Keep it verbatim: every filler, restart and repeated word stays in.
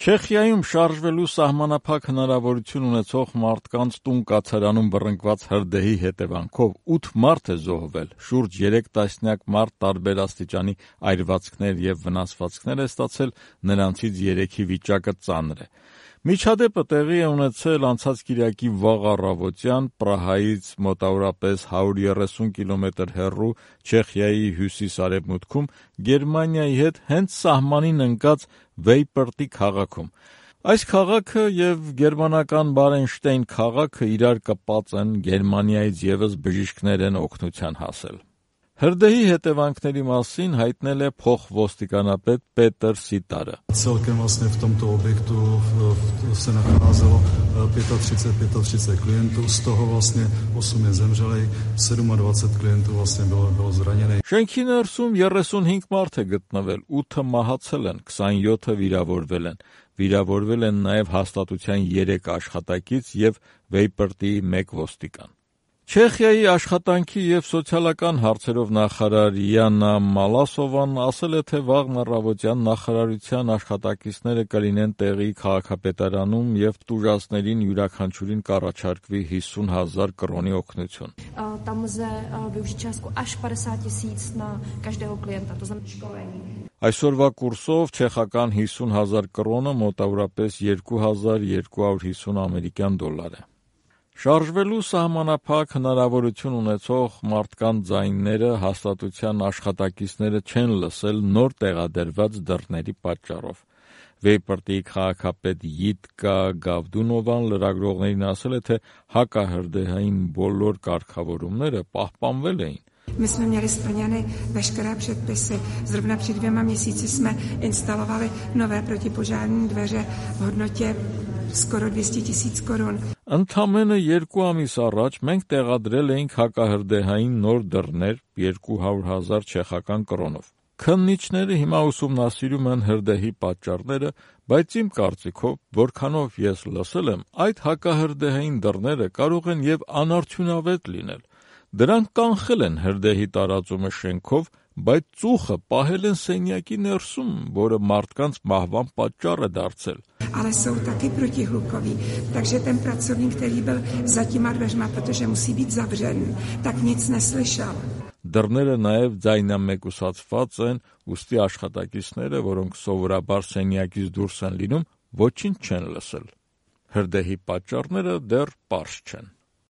Չեխիայում շարժվելու սահմանափակ հնարավորություն ունեցող մարդկանց տուն կացարանում բռնկված հրդեհի հետևանքով ութ մարդ է զոհվել, շուրջ երեք տասնյակ մարդ տարբեր աստիճանի այրվածքներ և վնասվածքներ է ստացել, նրանցից երեքի վիճակը ծանր է։ Միջադեպը տեղի է ունեցել անցած կիրակի վաղ առավոտյան Պրահայից մոտավորապես հարյուր երեսուն կիլոմետր հեռու Չեխիայի հյուսիս-արևմուտքում Գերմանիայի հետ հենց սահմանին ընկած Վեյպրտի քաղաքում։ Այս քաղաքը և գերմանական Բարենշտեյն քաղաքը իրար կապած են, Գերմանիայից ևս բժիշկներ են օգնության հասել։ Հրդեհի հետևանքների մասին հայտնել է փոխոստիկանապետ Պետր Սիտարը։ Celkem vlastně v tomto objektu se nacházelo třicet pět třicet klientů, z toho vlastně osm je zemřelých, dvacet sedm klientů vlastně bylo, bylo zraněných։ Շենքի ներսում երեսունհինգ մարդ է գտնվել, ութը մահացել են, քսանյոթը վիրավորվել են։ Վիրավորվել են նաև հաստատության երեք աշխատակից և Վեյպրտի մեկ ոստիկան։ Չեխիայի աշխատանքի և սոցիալական հարցերով նախարար Յաննա Մալասովան ասել է, թե վաղն առավոտյան նախարարության աշխատակիցները կլինեն տեղի քաղաքապետարանում և տուժածներին յուրաքանչյուրին կառաջարկվի հիսուն հազար կրոնի օգնություն։ Tam lze využít částku až padesát tisíc na každého klienta, to znamená školení։ Այսօրվա կուրսով չեխական հիսուն հազար կրոնը մոտավորապես երկու հազար երկու հարյուր հիսուն ամերիկյան դոլար է։ Շարժվելու սահմանափակ հնարավորություն ունեցող մարդկանց ձայները հաստատության աշխատակիցները չեն լսել նոր տեղադրված դռների պատճառով։ Վեյպրտի քաղաքապետ Յիտկա Գավդունովան լրագրողներին ասել է, թե հակահրդեհային բոլոր կարգավորումները պահպանվել էին։ My jsme měli splněny veškeré předpisy. Zrovna před dvěma měsíci jsme instalovali nové protipožární dveře v hodnotě skoro dvě stě tisíc korun. Ընդամենը երկու ամիս առաջ մենք տեղադրել էինք հակահրդեհային նոր դռներ երկու հարյուր հազար չեխական կրոնով։ Քննիչները հիմա ուսումնասիրում են հրդեհի պատճառները, բայց իմ կարծիքով, որքանով ես լսել եմ, այդ հակահրդեհային դռները կարող են և անարդյունավետ լինել։ Դրանք կանխել են հրդեհի տարածումը շենքով, բայց ծուխը պահել են սենյակի ներսում, որը մարդկանց մահվան պատճառ է դարձել։ Ale jsou taky protihlukoví, takže ten pracovník, který byl za těma dveřma, protože musí být zavřen, tak nic neslyšel. Դռները նաև ձայնամեկուսացված են, ուստի աշխատակիցները, որոնք սովորաբար սենյակից դուրս են լինում, ոչինչ չեն լսել։ Հրդեհի պատճառները դեռ պարզ չեն։